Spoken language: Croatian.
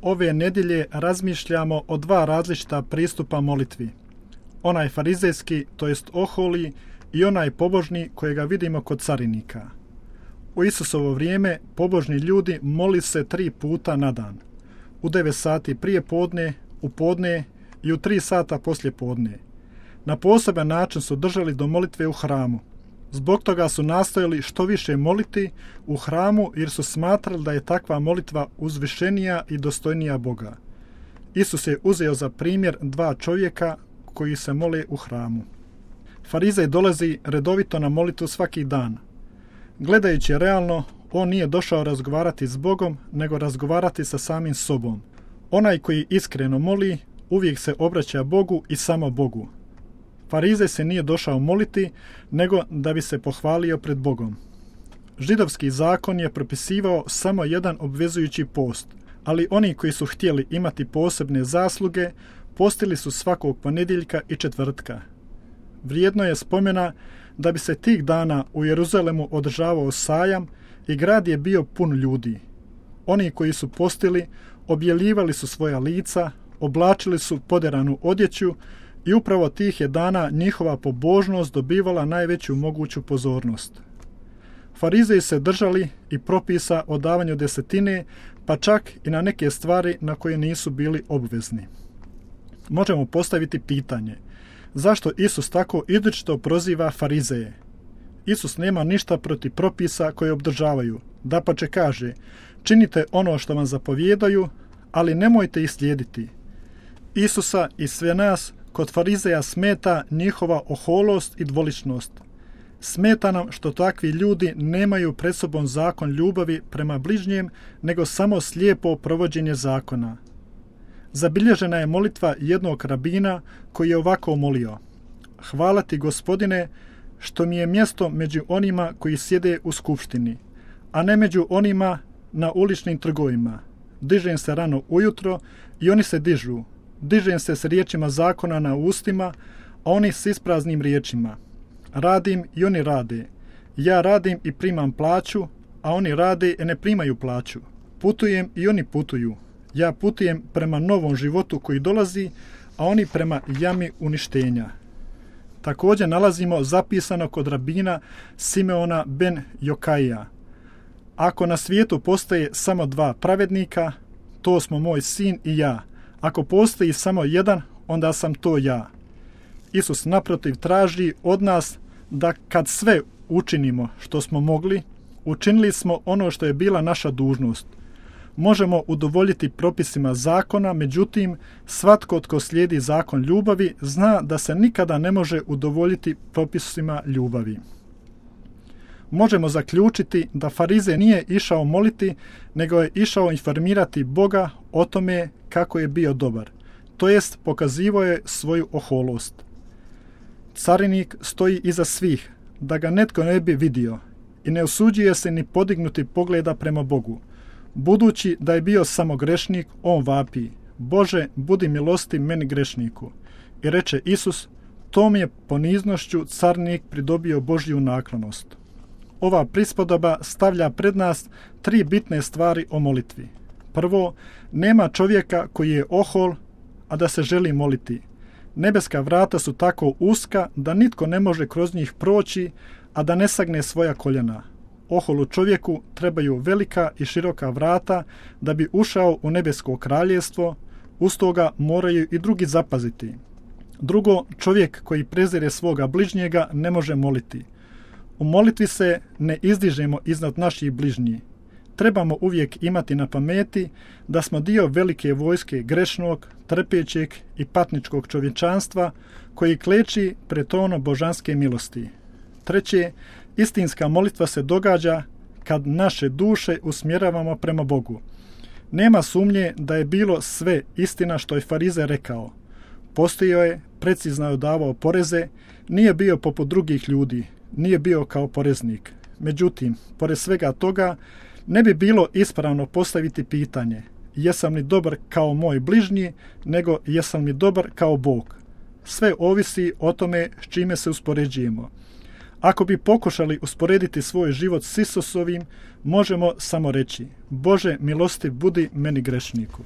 Ove nedjelje razmišljamo o dva različita pristupa molitvi. Onaj farizejski, to jest oholi, i onaj pobožni kojega vidimo kod carinika. U Isusovo vrijeme pobožni ljudi moli se 3 puta na dan. U 9 sati prije podne, u podne i u 3 sata poslije podne. Na poseban način su držali do molitve u hramu. Zbog toga su nastojali što više moliti u hramu jer su smatrali da je takva molitva uzvišenija i dostojnija Boga. Isus je uzeo za primjer 2 čovjeka koji se mole u hramu. Farizej dolazi redovito na molitvu svaki dan. Gledajući realno, on nije došao razgovarati s Bogom, nego razgovarati sa samim sobom. Onaj koji iskreno moli, uvijek se obraća Bogu i samo Bogu. Farizej se nije došao moliti, nego da bi se pohvalio pred Bogom. Židovski zakon je propisivao samo jedan obvezujući post, ali oni koji su htjeli imati posebne zasluge, postili su svakog ponedjeljka i četvrtka. Vrijedno je spomena da bi se tih dana u Jeruzalemu održavao sajam i grad je bio pun ljudi. Oni koji su postili, objeljivali su svoja lica, oblačili su poderanu odjeću i upravo tih je dana njihova pobožnost dobivala najveću moguću pozornost. Farizeji se držali i propisa o davanju desetine, pa čak i na neke stvari na koje nisu bili obvezni. Možemo postaviti pitanje, zašto Isus tako izričito proziva farizeje? Isus nema ništa protiv propisa koje obdržavaju. Dapače kaže, činite ono što vam zapovjedaju, ali nemojte ih slijediti. Isusa i sve nas kod farizeja smeta njihova oholost i dvoličnost. Smeta nam što takvi ljudi nemaju pred sobom zakon ljubavi prema bližnjem, nego samo slijepo provođenje zakona. Zabilježena je molitva jednog rabina koji je ovako molio. Hvala ti, Gospodine, što mi je mjesto među onima koji sjede u skupštini, a ne među onima na uličnim trgovima. Dižem se rano ujutro i oni se dižu. Dižem se s riječima zakona na ustima, a oni s ispraznim riječima. Radim i oni rade. Ja radim i primam plaću, a oni rade i ne primaju plaću. Putujem i oni putuju. Ja putujem prema novom životu koji dolazi, a oni prema jami uništenja. Također nalazimo zapisano kod rabina Simeona ben Jokaija. Ako na svijetu postoje samo 2 pravednika, to smo moj sin i ja. Ako postoji samo jedan, onda sam to ja. Isus naprotiv traži od nas da kad sve učinimo što smo mogli, učinili smo ono što je bila naša dužnost. Možemo udovoljiti propisima zakona, međutim, svatko tko slijedi zakon ljubavi zna da se nikada ne može udovoljiti propisima ljubavi. Možemo zaključiti da farizej nije išao moliti, nego je išao informirati Boga o tome kako je bio dobar. To jest, pokazivao je svoju oholost. Carinik stoji iza svih, da ga netko ne bi vidio i ne usuđuje se ni podignuti pogleda prema Bogu. Budući da je bio samo grešnik, on vapi, Bože, budi milostiv meni grešniku. I reče Isus, tom je poniznošću carinik pridobio Božju naklonost. Ova prispodoba stavlja pred nas 3 bitne stvari o molitvi. Prvo, nema čovjeka koji je ohol, a da se želi moliti. Nebeska vrata su tako uska da nitko ne može kroz njih proći, a da ne sagne svoja koljena. Oholu čovjeku trebaju velika i široka vrata da bi ušao u nebesko kraljevstvo, uz toga moraju i drugi zapaziti. Drugo, čovjek koji prezire svoga bližnjega ne može moliti. U molitvi se ne izdižemo iznad naših bližnjih. Trebamo uvijek imati na pameti da smo dio velike vojske grešnog, trpećeg i patničkog čovječanstva koji kleči pred tronom božanske milosti. Treće, istinska molitva se događa kad naše duše usmjeravamo prema Bogu. Nema sumnje da je bilo sve istina što je farizej rekao. Postojao je, precizno je davao poreze, nije bio poput drugih ljudi, nije bio kao poreznik. Međutim, pored svega toga, ne bi bilo ispravno postaviti pitanje jesam li dobar kao moj bližnji, nego jesam li dobar kao Bog. Sve ovisi o tome s čime se uspoređujemo. Ako bi pokušali usporediti svoj život s Isusovim, možemo samo reći Bože, milostiv budi meni grešniku.